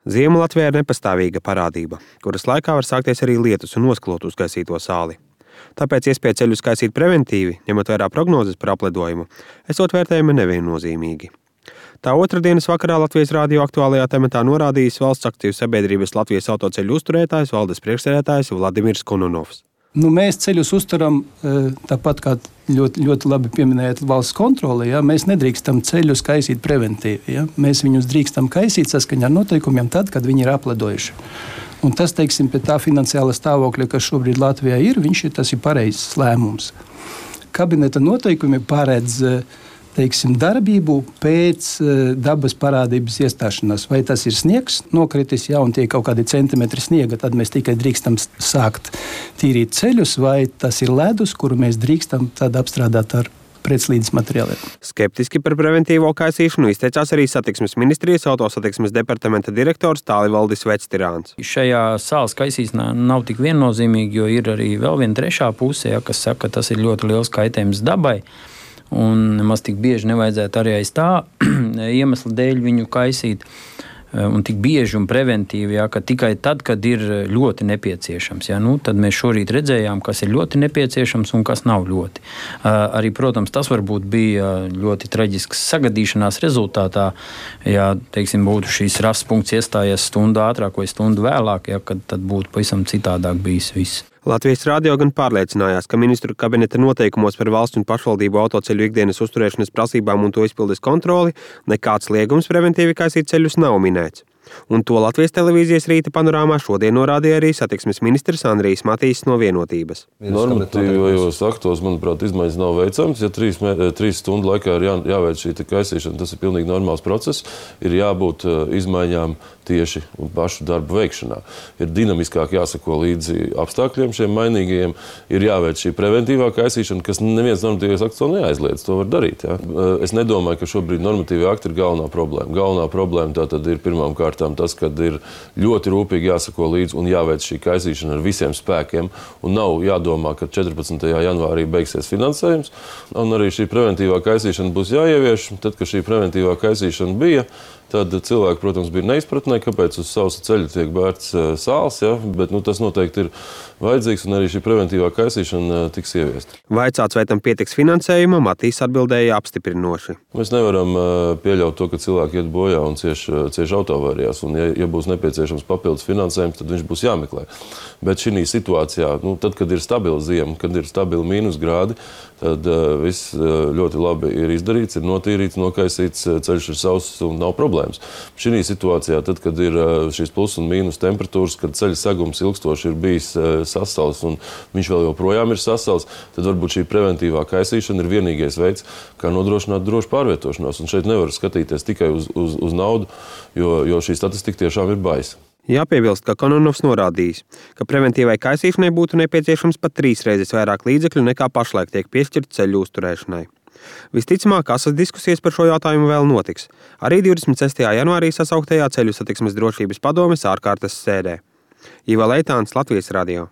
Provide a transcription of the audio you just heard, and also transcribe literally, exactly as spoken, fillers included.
Ziema Latvijā ir nepastāvīga parādība, kuras laikā var sākties arī lietus un nosklot uzkaisīto sāli. Tāpēc iespēja ceļus kaisīt preventīvi, ņemot vērā prognozes par apledojumu, esot vērtējumi neviennozīmīgi. Tā otrdienas vakarā Latvijas radio aktuālajā tematā norādījis valsts akciju sabiedrības Latvijas autoceļu uzturētājs, valdes priekšsēdētājs Vladimirs Kononovs. Nu, mēs ceļus uzturam, tāpat kā ļoti, ļoti labi pieminējāt valsts kontroli, ja? Mēs nedrīkstam ceļus kaisīt preventīvi. Ja? Mēs viņus drīkstam kaisīt saskaņā ar noteikumiem tad, kad viņi ir apledojuši. Un tas, teiksim, pie tā finansiāla stāvokļa, kas šobrīd Latvijā ir, viņš ir, tas ir pareizs lēmums. Kabineta noteikumi paredz teiksim, darbību pēc dabas parādības iestāšanās. Vai tas ir sniegs nokritis, ja, un tie kaut kādi centimetri sniega, tad mēs tikai drīkstam sākt tīrīt ceļus, vai tas ir ledus, kuru mēs drīkstam tad apstrādāt ar pretslīdes materiāliem. Skeptiski par preventīvo kaisīšanu izteicās arī satiksmes ministrijas autosatiksmes departamenta direktors Tālivaldis Vectirāns. Šajā sāls kaisīšanā nav tik viennozīmīgi, jo ir arī vēl viena trešā puse, ja, kas saka, ka tas ir ļoti liels kaitējums dabai. Un nemaz tik bieži nevajadzētu arī aiz tā iemesla dēļ viņu kaisīt. Un tik bieži un preventīvi, ja, ka tikai tad, kad ir ļoti nepieciešams. Ja, nu, tad mēs šorīt redzējām, kas ir ļoti nepieciešams un kas nav ļoti. Arī, protams, tas varbūt bija ļoti traģisks sagadīšanās rezultātā, ja, teiksim, būtu šīs rases punkts iestājies stundu ātrāk vai stundu vēlāk, ja, kad tad būtu pavisam citādāk bijis viss. Latvijas radio gan pārliecinājās, ka ministru kabineta noteikumos par valsts un pašvaldību autoceļu ikdienas uzturēšanas prasībām un to izpildes kontroli nekāds liegums preventīvi kaisīt ceļus nav minēts. Un to Latvijas televīzijas rīta panorāmā šodien norādīja arī satiksmes ministrs Andrijs Matīs no Vienotības. Normatīvajos aktos, manuprāt, izmaiņas nav veicams. Ja trīs, trīs stundu laikā ir jā, jāveic šī kaisīšana, tas ir pilnīgi normāls process. Ir jābūt izmaiņām tieši pašu darbu veikšanā. Ir dinamiskāk jāsako līdzi apstākļiem šiem mainīgajiem. Ir jāveic šī preventīvā kaisīšana, kas neviens normatīvais akts to neaizliedz. To var darīt. Ja? Es nedomāju, ka šobrīd normatīvie akti ir galvenā problēma. Galvenā problēma tā tad ir pirmām kārtām tas, kad ir ļoti rūpīgi jāsako līdzi un jāveic šī kaisīšana ar visiem spēkiem. Un nav jādomā, ka četrpadsmitajā janvārī beigsies finansējums. Un arī šī preventīvā kaisīšana būs jāievieš. Tad, kad šī preventīvā kaisīšana bija, tad cilvēki, protams, bija neizpratnē, kāpēc uz sausa ceļa tiek bērts sāls, ja? Bet nu, tas noteikti ir vajadzīgs un arī šī preventīvā kaisīšana tiks ieviesta. Vaicāts, vai tam pietiks finansējuma, Matīs atbildēja apstiprinoši. Mēs nevaram pieļaut to, ka cilvēki iet bojā un cieš, cieš autoavārijās, un ja, ja būs nepieciešams papildus finansējums, tad viņš būs jāmeklē. Bet šī situācijā, nu, tad, kad ir stabila ziema, kad ir stabili mīnusgrādi, tad uh, viss uh, ļoti labi ir izdarīts, ir notīrīts, nokaisīts, ceļš ir sauss un nav problēmas. Šī situācijā, tad, kad ir uh, šīs plus un mīnus temperatūras, kad ceļa segums ilgstoši ir bijis uh, sasals un viņš vēl joprojām ir sasals, tad varbūt šī preventīvā kaisīšana ir vienīgais veids, kā nodrošināt drošu pārvietošanos. Un šeit nevar skatīties tikai uz, uz, uz naudu, jo, jo šī statistika tiešām ir baisa. Jāpiebilst, ka Kononovs norādījis, ka preventīvai kaisīšanai būtu nepieciešams pat trīs reizes vairāk līdzekļu nekā pašlaik tiek piešķirt ceļu uzturēšanai. Visticamāk, asas diskusijas par šo jautājumu vēl notiks. Arī divdesmit sestajā janvārī sasauktajā ceļu satiksmes drošības padomes ārkārtas sēdē. Iva Leitāns, Latvijas radio.